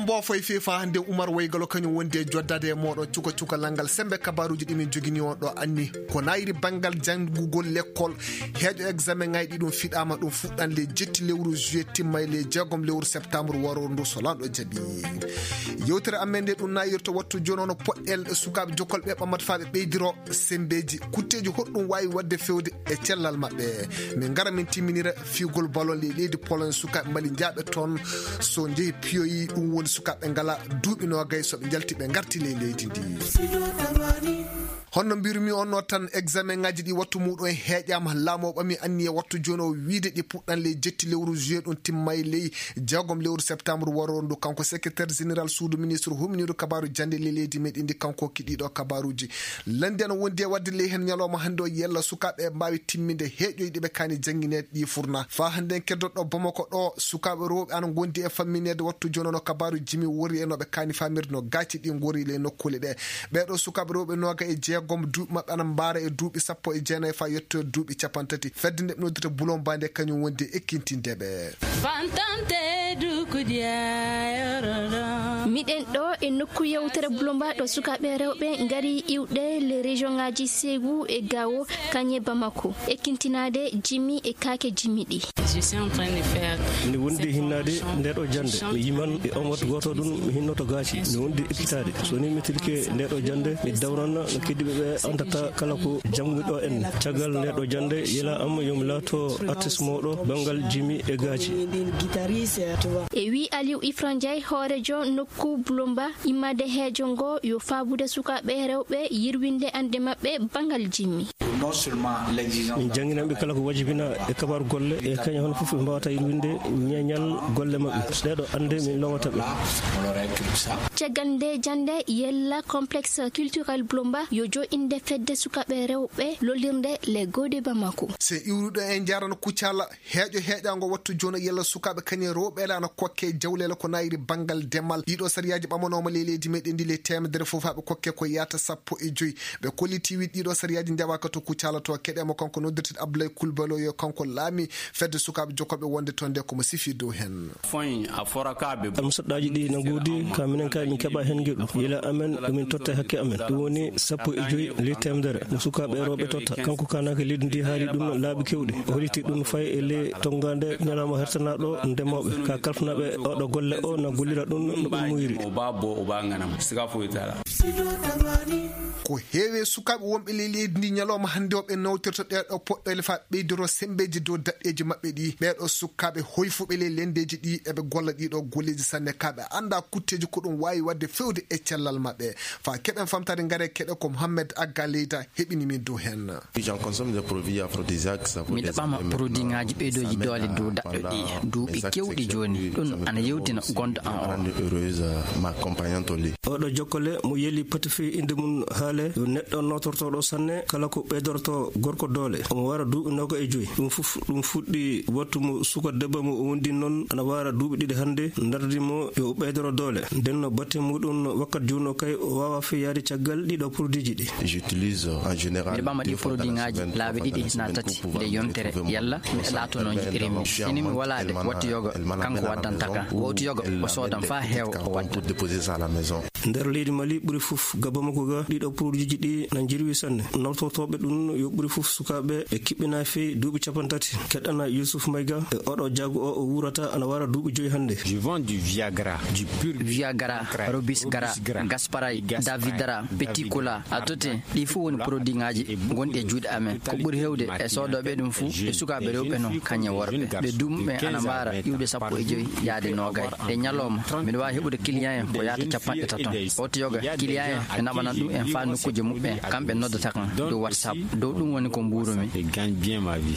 oɗon mbofoy fefa hande Oumar Waygalo kañum wondi e joddade e moɗon cukalangal ngal sembe kabaruji ɗimin jogini on ɗo anni ko nayri bangal jangugol l'école heeƴo examen ŋayɗi ɗum fiɗama ɗum fuɗɗan le jetti lewru juillet timma le 6 lewru septembre waro ndu so lanɗo jaaɓi yewtere amen nde ɗum nayirto wattu joni ono poɗɗel sukaɓe jokkolɓe ɓamata faɓe ɓeydiro sembeji kutteji hoɗɗum wawi wadde fewde e cellal mabɓe min gara min timminira figol ballon le leydi Pologne sukaɓe mbali jaaɓe toon so jeehi piyoyi ɗum woni sukaɓe ngala duuɓi nogay soɓe jalti ɓe garti le leydi ndi honno mbirumi onno tan examen ngaji ɗi wattu muɗum e heeƴama laamu ɓami anni e wattu joni o wiide ɗi puɗɗan le jetti lewru juillet ɗum timmay ley 6 lewru septembre waro ndu kanko secrétaire général suudu ministre humniɗo kabaru jande le leydi meɗen ndi kanko kiɗiɗo kabaruji landi ana wondi e wadde ley hen ñalawma hande o yella sukaɓe mbawi timminde heeƴoyɗi ɓe kani jangguinede ɗi furna fa hande en keddoɗo Bamako ɗo sukaɓe rewɓe ana gondi e famminede wattu joni no kabaru jimi wori e noɓe kani famirde no gacci ɗi gori le nokkule ɗe ɓeɗo sukaɓe rewɓe noga e jeegom duuɓi mabɓe ana mbaara e duuɓi 19 fa yetto duuɓi 30 fedde nde ɓe noddita Boulon Bande kañum wondi e ekkintindeɓe miɗen ɗo e nokku yewtere Boulomba ɗo sukaɓe rewɓe gari iwɗe les région ngaji Ségou e Gao kañe Bamako ekkintinade Jimi e kake Jimi ɗi mi wondi hinnade ndeɗo jande mi yiman e on wattu goto ɗum mi hinnoto gaaci mi wondi ekkitade so ni mi tilke ndeɗo jande mi dawranna no keddiɓe ɓe andata kala ko janguɗo en caggal ndeɗo jande yela am yomi laato artiste moɗo bangal Jimi e gaaci e wi Aliou Ifran Ndiaye hoorejo nokku Boulomba immade heejo ngo yo faabude sukaɓe rewɓe yirwinde ande mabɓe bangal Jimi min jangginanɓe kala ko wajibina e kabaru golle e kañum hono foof ɓe mbawata yirwinde ñeñal golle mabɓe ɗeɗo ande min lowataɓe caggal nde jande yella complexe culturel Boulomba yo jo inde fedde sukaɓe rewɓe lollirde le gode Bamako se iwruɗo en jarano kuccala heeƴo heeƴango wattu joni yella sukaɓe kañum rewɓe ana kokke jawlele ko nayri bangal demal ɗiɗo sariyaji ɓamanoma le leydi meɗen ndi le temedere foof haɓe kokke ko yata 15 ɓe kolliti wi ɗiɗo sariyaji ndewaka to kuccala to keɗema kanko noddirte Abdoulaye Coulibaly yo kanko laami fedde sukaɓe jokkoɓe wonde toon nde komo sifi dow hen almusaɗɗaji ɗi no godi ka minen kay min keeɓa hen gueɗu yila amen ɗumin totta hakke amen ɗum woni 15 le temedere no sukaɓe rewɓe totta kanko kanaka leydi ndi haali ɗum laaɓi kewɗi o holliti ɗum fay e le tongade ñalawma hertanaɗo ndemoɓe ka kalfanaɓe oɗo golle o no gollira ɗum no ɓe muyri ko heewe sukaɓe wonɓe le leydi ndi ñalawma hande o ɓe nawtirta ɗeɗo poɗɗole fa ɓeydoro sembeji dow daɗɗeji mabɓe ɗi ɓeɗo sukaɓe hoyfuɓe le lendeji ɗi eɓe golla ɗiɗo golleji sanne kaɓe anda kutteji ko ɗum wawi wadde fewde e cellal mabɓe fa keɓen famtade gaare keɗe ko Mohamed Agga Leyda heɓini min dow hen mi ɗaɓama produit ngaji ɓeydoji doole dow daɗɗo ɗi duuɓi kewɗi joni ɗum ana yewtina gonɗo an o oɗo jokkole mo yeli patifi inde mum haale yo neɗɗo notortoɗo sanne kala ko ɓeydorto gorko doole omo wara duuɓi 25 ɗum fuɗɗi wattu mo suka debba mo o wondi noon ana wara duuɓi ɗiɗi hande dardimo yo ɓeydoro doole nden no batte muɗum wakkat juuno kay o wawa feyade caggal ɗiɗo produit ji ɗi miɗe ɓama ɗi produit ngaji laabi ɗiɗi na tati nde yontere yalla mi latono jiɗirimi sinimi walade wattu yoga kanko waddantaka wowtu yoga o soodan fa heewa o wadda nder leydi Mali ɓuuri foof ga Bamako ga ɗiɗo produit ji ɗi na jirwi sanne nawtotoɓe ɗum yo ɓuuri foof sukaɓe ɓe kiɓɓina fewi duuɓi 30 keɗɗana Youssouf Mayga e oɗo jago o wurata ana wara duuɓi 5 hande je vends du Viagra du pur Viagra Robis Gara Gasparay Davidara Petit Cola a tote ɗi fuu woni produit ngaji gonɗi e juuɗe amen ko ɓuuri hewde e sodoɓe ɗum fuu e sukaɓe rewɓe noon kañe worɓe ɓe dumɓe ana mbara iwde 15 yaade nogay e ñalawma mbiɗa wawi heɓude client en ko yaata 50 wotto yoga client en ɓe naɓanan ɗum en fa nokkuje muɓɓe kamɓe noddata kan dow WhatsApp dow ɗum woni ko mburumi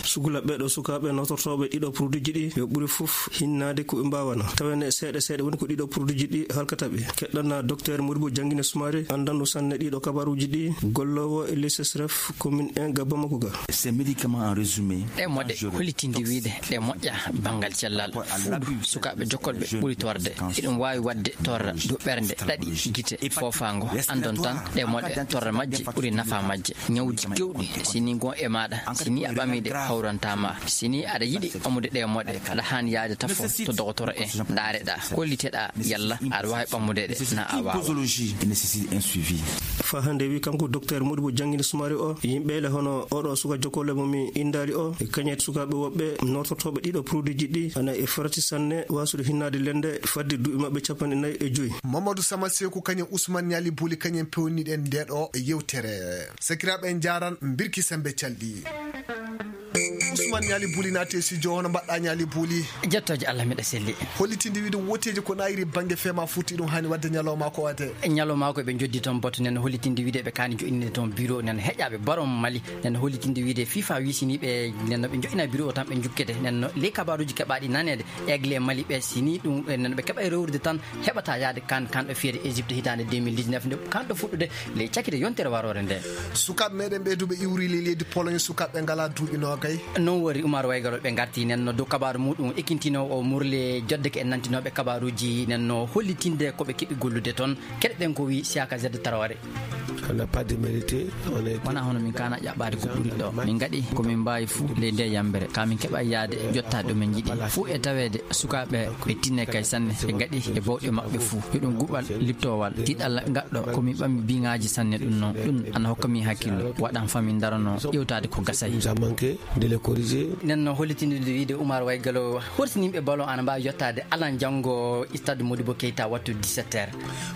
sugula ɓeɗo sukaɓe notortoɓe ɗiɗo produit ji ɗi yo ɓuuri foof hinnade ko ɓe mbawana tawene seeɗa woni ko ɗiɗo produit ji ɗi halkataɓe keɗɗana docteur Modibo Janguine Soumaré andanɗo sanne ɗiɗo kabaruji ɗi gollowo e LSSRF commune 1 ga Bamako ga ces médicaments en résumé ɗe moɗe hollitinde wiide ɗe moƴƴa bangal cellal fuuɗu sukaɓe jokkolɓe ɓuuri torde iɗum wawi wadde torra dow ɓernde ɗaɗi gite fofango andon tan de modde torre majje ɓuri nafa majje ñawji gewɗi sini gon e maɗa sini a ɓamide hawrantama sini aɗa yiɗi ɓamude ɗe moɗe aɗa hani yaade tafo to docteur en daareɗa kolliteɗa yalla aɗa wawi ɓamude ɗe na a wawa fa hande wi kanko docteur Modibo Jangini Sumari o yimɓele hono oɗo suka jokkole mumi indali o e kañet sukaɓe woɓɓe nototoɓe ɗiɗo produit ji ɗi ana e farati sanne wasude hinnade lende fadde duuɓi mabɓe 45 Mamadou Sama Sekou kañum Ousmane Niali Bouli kañum pewniɗen ndeɗo yewtere sakiraɓe en jaran birki sembe calɗi Ousmane Niali Bouli naate studio hono mbaɗɗa Niali Bouli jettoje Allah miɗa selli hollitinde wiide woteji ko nayiri banggue fema futti ɗum hani wadde ñalawma ko wate ñalawma ko ɓe joddi toon boto nen hollitinde wiide ɓe kani joƴinide toon bureau nen heƴaɓe barom Mali nen hollitinde wiide FIFA wisiniɓe nenno ɓe joƴina bureau o tan ɓe jukkete nenno ley kabaruji keɓaɗi nanede Aigle Mali ɓe sini ɗum nenno ɓe keeɓa rewrude tan heɓata yaade kanɗo fiyede Égypte hitande 2019 nde kanɗo fuɗɗude ley cakkide yontere warore nde sukaɓe meɗen ɓeyduɓe iwri leydi Pologne sukaɓe ngala duuɓi nogay non wori Oumar Waygalo ɓe garti nenno dow kabaru muɗum ekkintino o murle jodde ke en nantinoɓe kabaruji nenno hollitinde koɓe keeɓi gollude toon keɗɗen ko wi Siaka Z Traoré on n'a pas démérité wona hono min kana ƴaɓɓade ko ɓuuri ɗo min gaɗi komin mbawi fuu ley nde yambere kamin keeɓa yaade jottade ɗumen jiiɗi fuu e tawede sukaɓe ɓe tinne kay sanne ɓe gaɗi e bawɗe mabɓe fuu yoɗum guɓal liptowal tiɗalla gaɗɗo komin ɓammi biŋaji sanne ɗum noon ɗum ana hokkami hakkillo waɗan famin darano ƴewtade ko gasayi nenno hollitinde wiide Oumar Waygalo hortinimɓe ballon ana mbawi yottade alan janggo stade Modibo Keita wattu 17h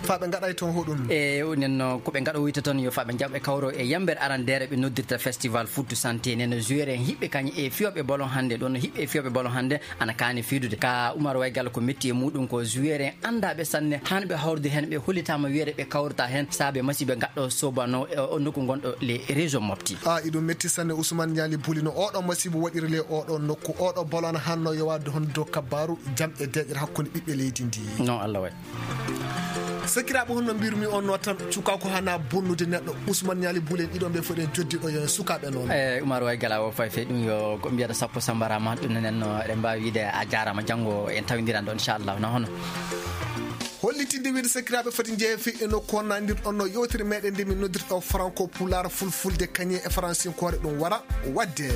faɓe gaɗay toon hoɗum e nenno koɓe gaɗo wiyta toon yo faɓe jaɓɓe kawro e yambere arandere ɓe noddirta festival foot santé nenno joueur en hiɓɓe kañum e fiyoɓe ballon hande ɗon hiɓɓe fiyoɓe ballon hande ana kani fiidude ka Oumar Waygalo ko metti e muɗum ko joueur en andaɓe sanne hanɓe hawrude hen ɓe hollitama wiide ɓe kawrata hen saabe masiɓe gaɗɗo sobano o nokku gonɗo les région mofti iɗum metti sanne Ousmane Niali Bouli no oɗo masibo waɗiri le oɗo nokku oɗo ballon hanno yo wadde hon dow kabaru jam e deƴƴere hakkude ɓiɓɓe leydi ndi non Allah waɗi sakiraɓe honno mbirumi on no tan cuka ko hana bonnude neɗɗo Ousmane Niali Bouli en ɗiɗon ɓe foɗen joddiɗo yo sukaɓe noon Oumar Waygala o fayi ɗum yo ko mbiyata sappo sambarama ɗum nenno eɗen mbawi wiide a jarama janggo en tawdiran ɗo inchallah no hono hollitinde wiide sakiraɓe foti jeefi e nokku honnadirɗon no yewtere meɗen nde min noddirɗo franco pular fulfulde kañe e français kore ɗum wara wadde